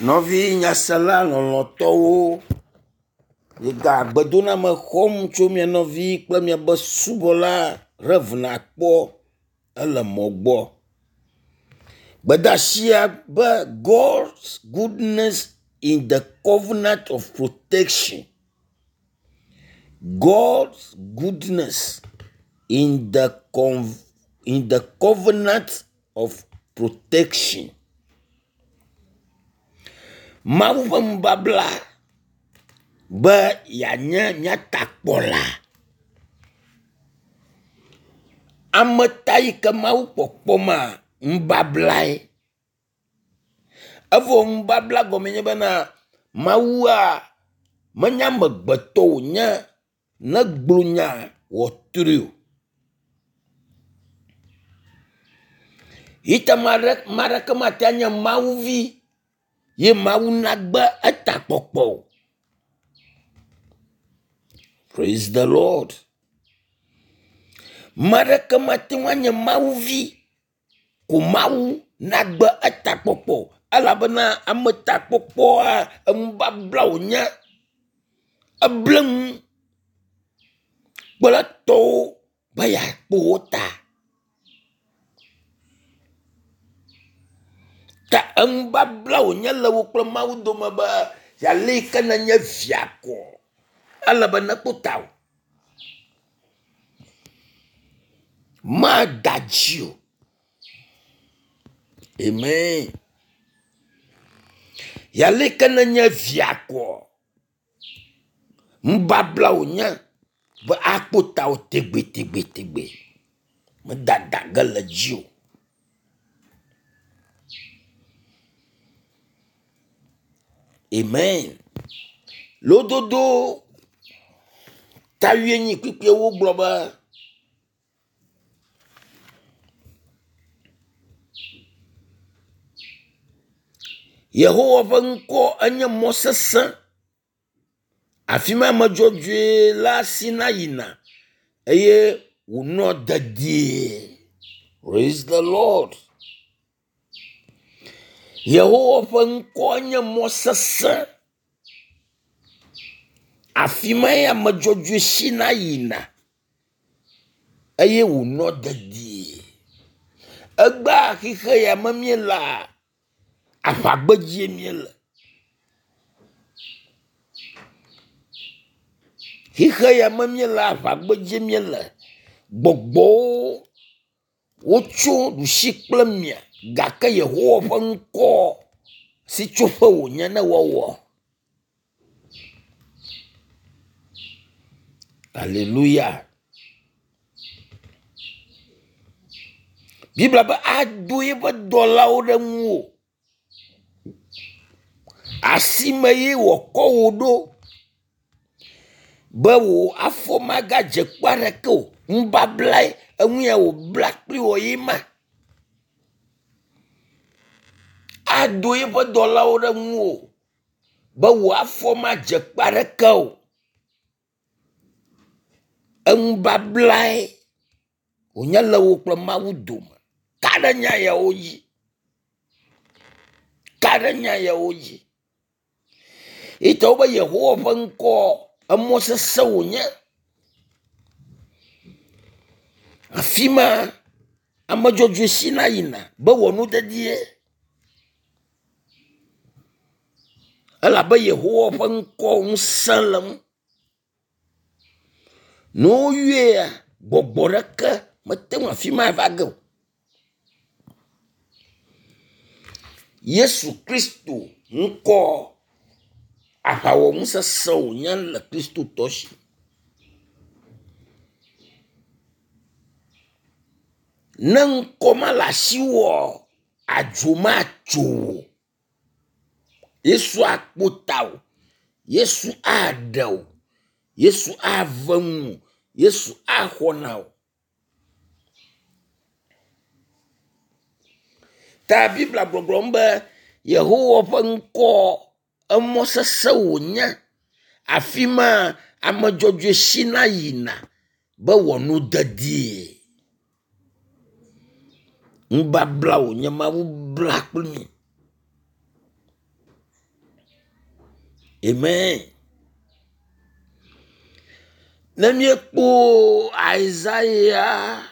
Nɔvi nyasela lɔlɔ̃tɔwo, miega gbedoname xɔm tso mia nɔvi kple miaƒe subɔla Rev. Akpɔ ele mɔ gbɔ. Gbedasia be God's goodness in the covenant of protection. God's goodness in the in the covenant of protection. Mawu ƒe nubabla be yeanye mía takpɔla. Ame ta yi ke Mawu kpɔkpɔ ma, nubablae. Evɔ nubabla gɔme nye bena Mawua menye amegbetɔ wònye negblɔ nya wòatrɔe o. Yi ta ame aɖeke mate anye Mawu vi ye Mawu nagbe etakpɔkpɔ o. Praise the Lord. Ame aɖeke mate ŋu anye Mawu vi ko Mawu nagbe etakpɔkpɔ o elabena ametakpɔkpɔa enubabla wònye. Eble nu kple etɔwo be yeakpɔ wo ta. Ta enubabla wònye le wò kple Mawu dome be ale yi ke nenye via ko ele be nekpɔ tawò. Mada dzi o. Amen. Ale yi ke nenye via koa, nubabla wònye be akpɔ tawò tegbetegbetegbe. Medada ge le edzi o. Amen. Lododo ta wuienyi kpukpuiwo gblɔ be Yehowa ƒe ŋkɔ enye mɔ sesẽ. Afi ma ame dzɔdzɔe la sina yina eye wònɔa dedie. Praise the Lord. Yehowa ƒe ŋkɔ nye mɔ sesẽ. Afi mae ame dzɔdzɔe sina yina eye wònɔ dedie. Egbea xixe ya me míelea, aʋagbedzie míele. Xixe ya me míelea, aʋagbedzie míele. Gbɔgbɔwo wotso ɖusi kple mia gake Yehowa ƒe ŋkɔ sitsoƒe wònye ne woawɔ. Aleluya. Biblia be ado eƒe dɔlawo ɖe ŋuwò. Asime ye wòakɔ wò ɖo be wò afɔ magadze kpe aɖeke o. Nubablae enu ya wòbla kpli wò ye ma. Ado eƒe dɔlawo ɖe ŋuwò be wò afɔ madze kpe aɖeke o. Enubablae wònye le wò kple Mawu dome. Ka ɖe nya yawo dzi. Ka ɖe nya yawo dzi. Yi ta wobe Yehowa ƒe ŋkɔ emɔ sesẽ wònye. Afi ma ame dzɔdzɔe sina yina be wɔ nu dedie. Elabe Yehowa ƒe ŋkɔ ŋusẽ le ŋu. Ne woyɔea, gbɔgbɔ ɖeke mete ŋu afi ma va ge o. Yesu Kristo ŋkɔ aʋawɔnu sesẽ wònye le kristotɔ si. Ne ŋkɔ ma le asiwòa, adzo matso wò o. Yesu akpɔ tawò, Yesu aɖe wò, Yesu ave nuwò, Yesu axɔ na wò. Ta Biblia gbɔgblɔm be Yehowa ƒe ŋkɔ emɔ sesẽ wònye. Afi ma ame dzɔdzɔe sina yina be wòano dedie. Nubabla wònye Mawu bla kpli mi. Amen. Ne míekpɔ Isaiah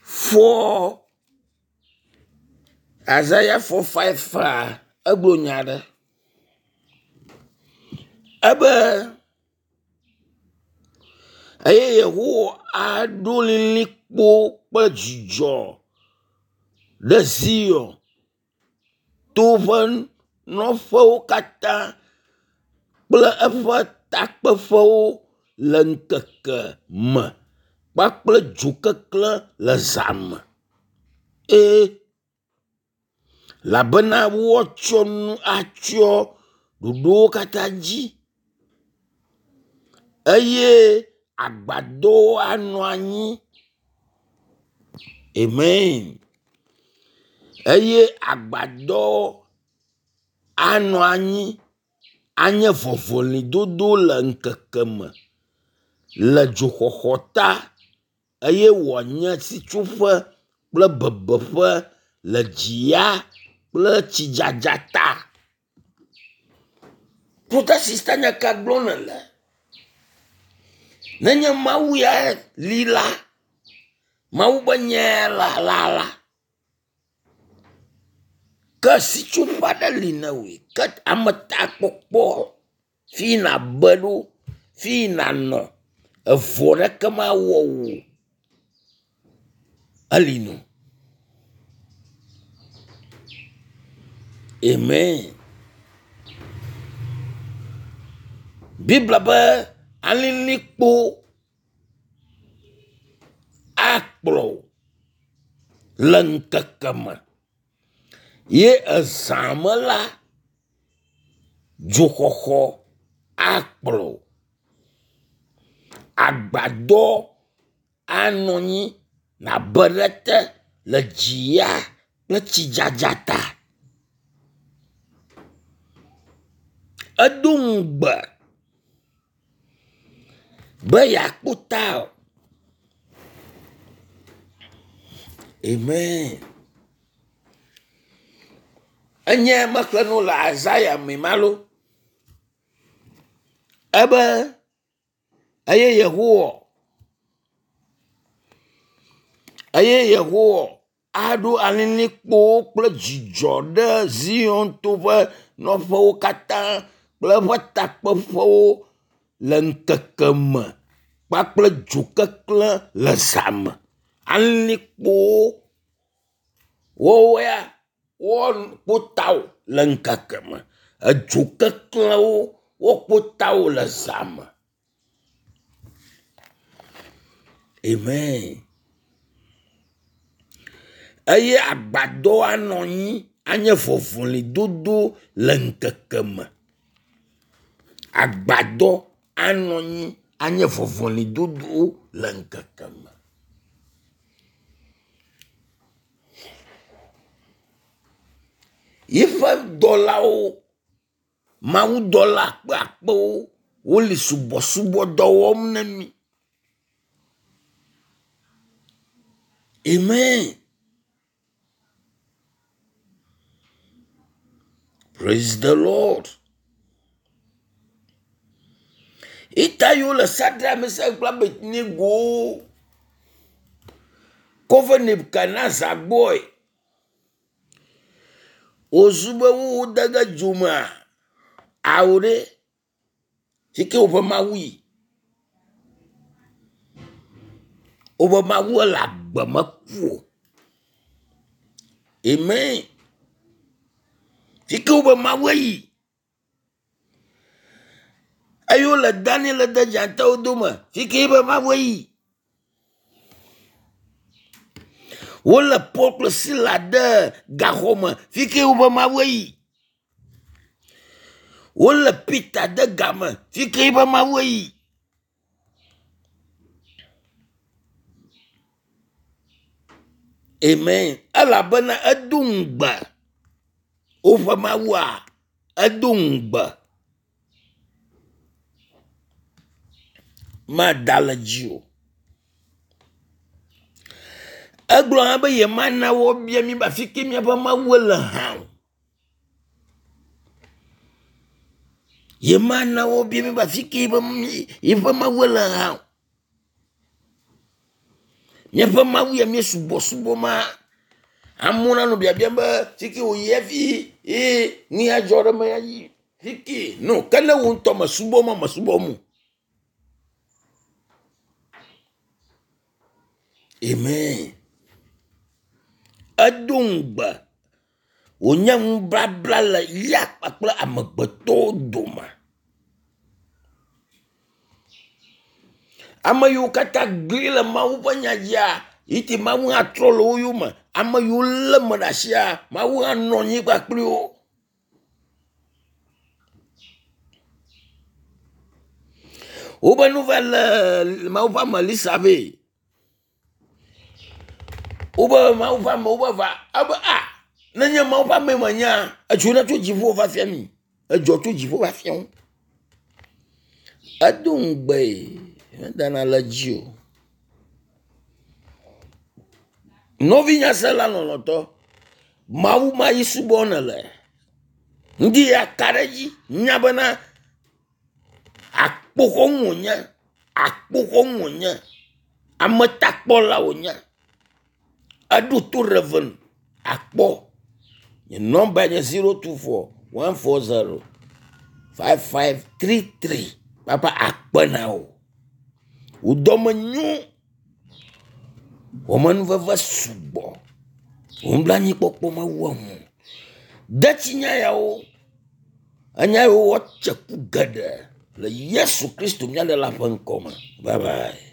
4 Isaiah 4 5 a, egblɔ nya aɖe. Ebe eye Yehowa aɖo lilikpo kple dzidzɔ ɖe Zion to ƒe nɔƒewo katã kple eƒe takpeƒewo le ŋkeke me kpakple dzokeklẽ le zã me. Ee, elabena woatsɔ nu atsyɔ ɖoɖowo katã dzi eye agbadɔwo anɔ anyi. Amen. Eye agbadɔ anɔ anyi anye vɔvɔlidodo le ŋkeke me le dzoxɔxɔ ta eye wòanye sitsoƒe kple bebeƒe le dziya kple tsidzadza ta. Brother sister nya ka gblɔm nèle? Nenye Mawu ya li la, Mawu be nya la la la, ke sitsoƒe aɖe li na wòe. Ke ametakpɔkpɔ fi nàbe ɖo, fi nànɔ, evɔ ɖeke mawɔ wò o, eli nɔ. Amen. Biblia be alilikpo akplɔ wò le ŋkeke me ye ezã me la, dzoxɔxɔ akplɔ wò. Agbadɔ anɔ anyi nàbe ɖe ete le dziya kple tsidzadza ta. Edo ŋugbe be yeakpɔ tawò. Amen. Enye mexlẽ nu le Isaiah me malo. Ebe eye Yehowa eye Yehowa aɖo alilikpowo kple dzidzɔ ɖe Zion to ƒe nɔƒewo katã kple eƒe takpeƒewo le ŋkeke me kpakple dzokeklẽ le zã me. Alilikpowo woawo ya woakpɔ tawò le ŋkeke me. Edzo keklẽwo woakpɔ tawò le zã me. Amen. Eye agbadɔ anɔ anyi anye vɔvɔlidodo le ŋkeke me. Agbadɔ anɔ anyi anye vɔvɔlidodo le ŋkeke me. Yiƒe dɔlawo, mawudɔla akpeakpewo wole subɔsubɔdɔ wɔm na mí. Amen. Praise the Lord. Ita yiwo le Sadra, Mesak kple Abednego kɔ va Nebukadnezar gbɔe. Wozu be wode ge dzo mea, ao ɖe, fi ke woƒe Mawu yi. Woƒe Mawu le agbe meku o. Amen. Fi ke woƒe Mawu yi. Eye wole Daniel de dzatawo dome. Fi ke eƒe Mawu yi. Wole Paul kple Sila de gaxɔ me. Fi ke woƒe Mawu yi. Wole Peter de game. Fi ke eƒe Mawu yi. Amen. Elabena edo ŋugbe. Woƒe Mawua, edo ŋugbe. Mada le dzi o. Egblɔ hã be yemana woabia mí be afi ke míaƒe Mawu le hã o. Ye mana wo bia mi be afi ke yiƒe yiƒe Mawu le hã o. Míaƒe Mawu ya míesubɔsubɔ ma. Amewo nanɔ biabiam be fi ke wòyi hafi ye nu ya dzɔ ɖe eme ya yi fi ke. No, ke ne wò ŋutɔ mesubɔ ma mesubɔ mo. Amen. Edo ŋugbe wònye nubabla le ya kpakple amegbetɔwo dome. Ame yiwo katã gli le Mawu ƒe nya dzia, yi ti Mawu hã trɔ le wo yome. Ame yiwo lé me ɖe asia, Mawu hã nɔ anyi kpakpli wo. Wobe nu va le Mawu ƒe ame Elisa vɛ. Wobe Mawu ƒe amewo be va ebe a nenye Mawu ƒe ame menya edzona tso dziƒo va fia mi. Edzɔ tso dziƒo va fia wo. Edo ŋugbe medana le edzi o. Nɔvi nyasela lɔlɔ̃tɔ, Mawu ma yi subɔ nele. Ŋdi ya ka ɖe edzi nya bena akpoxɔnu wònye, akpoxɔnu wònye, ametakpɔla wònye. Eɖo to Rev. Akpɔ. Nye nɔmba nye 024 140 5533. Papa akpe na wò. Wò dɔme nyo. Wò amenuveve sugbɔ. Wò nublanuikpɔkpɔ mewu enu o. De tsi nya yawo. Enya yiwo woatse ku geɖe le Yesu Kristo mía Ɖela ƒe ŋkɔ me. Bye bye.